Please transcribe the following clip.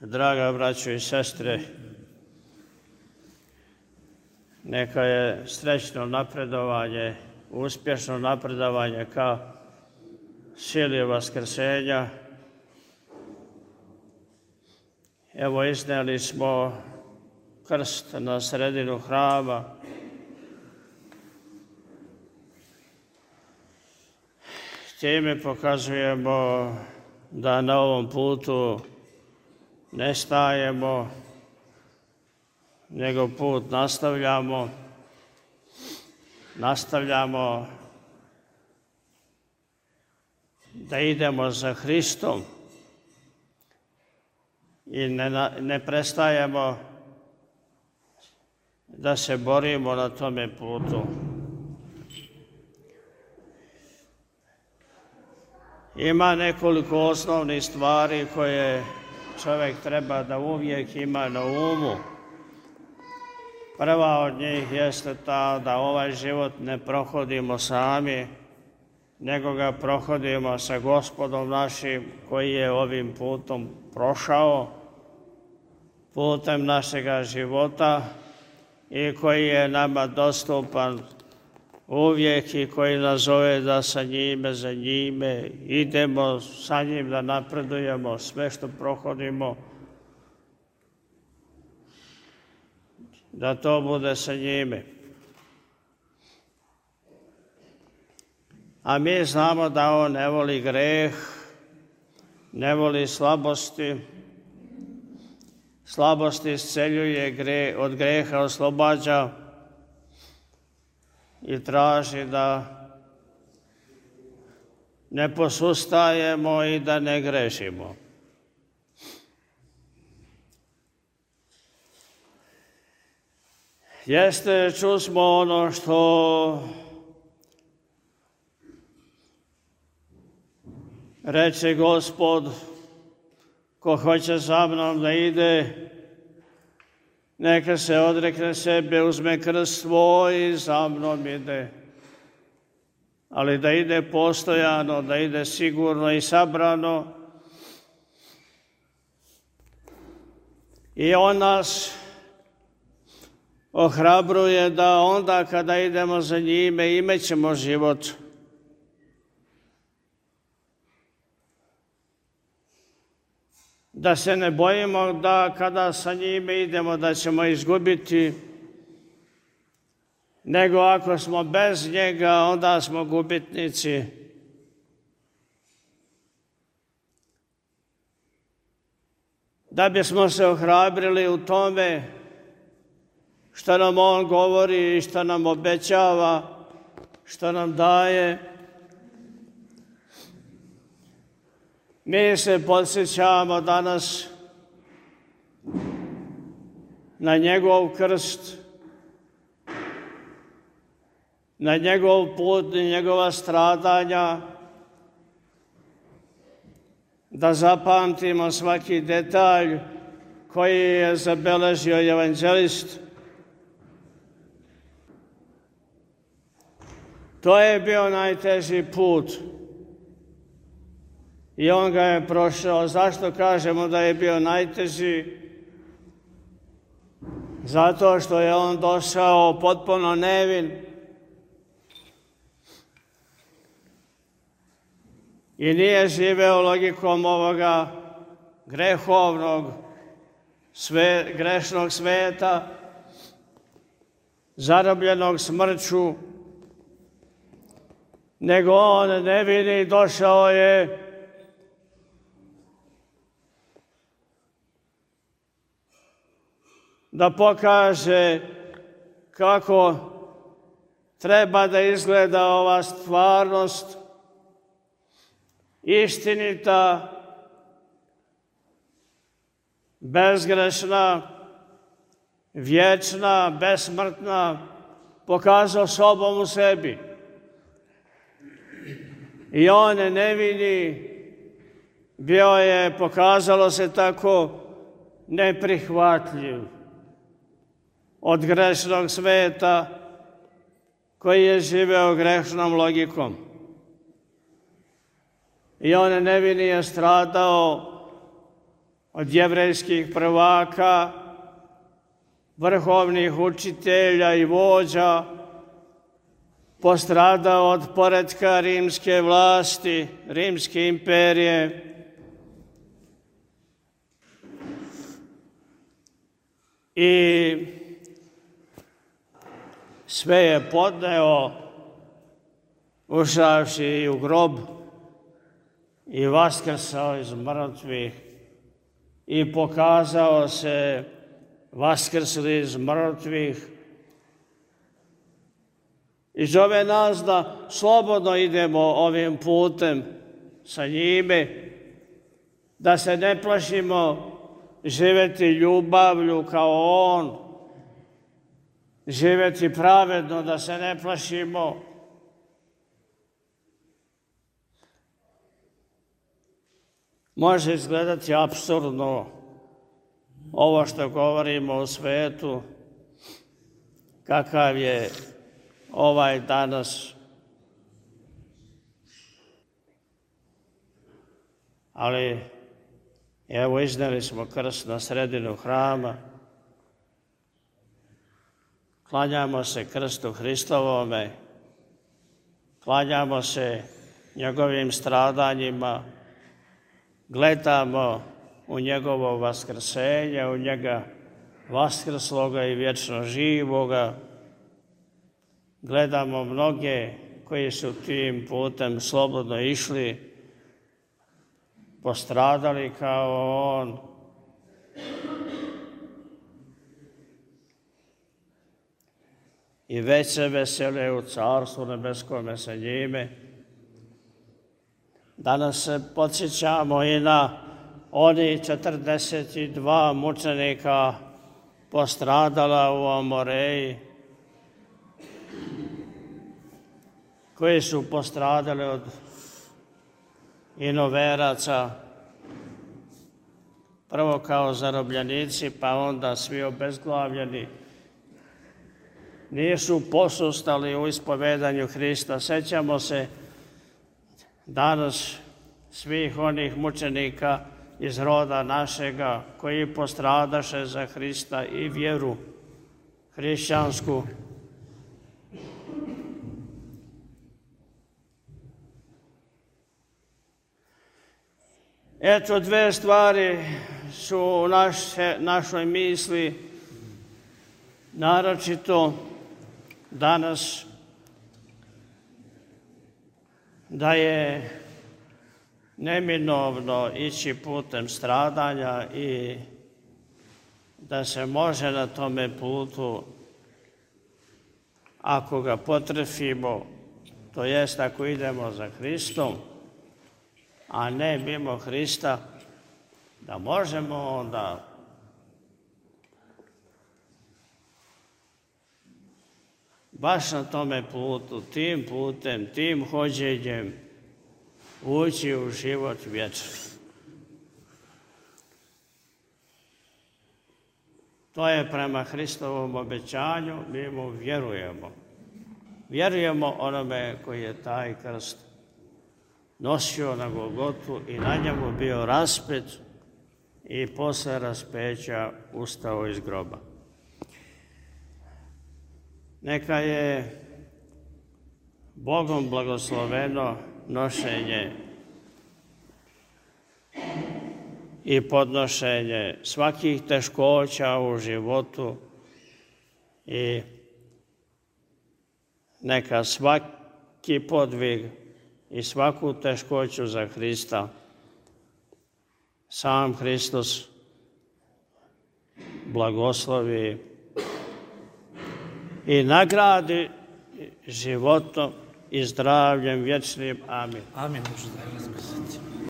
Draga braćo i sestre, neka je srećno napredovanje, uspješno napredovanje ka sili vaskrsenja. Evo, iznijeli smo krst na sredinu hrama. Time pokazujemo da na ovom putu ne stajemo, nego put nastavljamo da idemo za Hristom i ne prestajemo da se borimo na tome putu. Ima nekoliko osnovnih stvari koje čovjek treba da uvijek ima na umu. Prva od njih jeste ta da ovaj život ne prohodimo sami, nego ga prohodimo sa Gospodom našim koji je ovim putom prošao, putem našega života i koji je nama dostupan uvijek i koji nas zove da sa njime, za njime idemo, sa njim da napredujemo, sve što prohodimo, da to bude sa njime. A mi znamo da on ne voli greh, ne voli slabosti. Slabost isceljuje, od greha oslobađa i traži da ne posustajemo i da ne grešimo. Čusmo ono što reče Gospod, ko hoće za mnom da ide, neka se odrekne sebe, uzme krst svoj i za mnom ide. Ali da ide postojano, da ide sigurno i sabrano. I on nas ohrabruje da onda kada idemo za njime imećemo život. Da se ne bojimo da kada sa njime idemo da ćemo izgubiti, nego ako smo bez njega onda smo gubitnici. Da bismo se ohrabrili u tome što nam on govori i što nam obećava, što nam daje, mi se podsjećamo danas na njegov krst, na njegov put i njegova stradanja, da zapamtimo svaki detalj koji je zabeležio evanđelist. To je bio najteži put i on ga je prošao. Zašto kažemo da je bio najteži? Zato što je on došao potpuno nevin i nije živeo logikom ovoga grehovnog, grešnog sveta, zarobljenog smrću, nego on nevini došao je da pokaže kako treba da izgleda ova stvarnost, istinita, bezgrešna, vječna, besmrtna, pokazao sobom u sebi. I on nevini bio je, pokazalo se tako, neprihvatljiv od grešnog sveta koji je živeo grešnom logikom. I on nevini je stradao od jevrejskih prvaka, vrhovnih učitelja i vođa, postradao od poretka rimske vlasti, rimske imperije. I sve je podneo, ušavši i u grob i vaskrsao iz mrtvih i pokazao se vaskrsli iz mrtvih i zove nas da slobodno idemo ovim putem sa njime, da se ne plašimo živjeti ljubavlju kao on, živjeti pravedno, da se ne plašimo može izgledati apsurdno ovo što govorimo o svetu, kakav je ovaj danas. Ali evo iznijeli smo krst na sredinu hrama, klanjamo se krstu Hristovome, klanjamo se njegovim stradanjima, gledamo u njegovo vaskrsenje, u njega vaskrsloga i vječno živoga. Gledamo mnoge koji su tim putem slobodno išli, postradali kao on. I već se vesele u Carstvu nebeskome sa njime. Danas se podsjećamo i na oni 42 mučenika postradala u Amoreji, koji su postradali od inoveraca, prvo kao zarobljenici, pa onda svi obezglavljeni. Nisu posustali u ispovedanju Hrista. Sjećamo se danas svih onih mučenika iz roda našega koji postradaše za Hrista i vjeru hrišćansku. Eto, dve stvari su u našoj misli, naročito danas, da je neminovno ići putem stradanja i da se može na tome putu, ako ga potrefimo, to jest ako idemo za Hristom, a ne mimo Hrista, da možemo onda baš na tome putu, tim putem, tim hođenjem ući u život vječni. To je prema Hristovom obećanju, mi mu vjerujemo. Vjerujemo onome koji je taj krst nosio na Golgotu i na njemu bio raspet i posle raspeća ustao iz groba. Neka je Bogom blagosloveno nošenje i podnošenje svakih teškoća u životu i neka svaki podvig i svaku teškoću za Hrista sam Hristos blagoslovi i nagradi životom i zdravljem vječnim. Amin. Amin.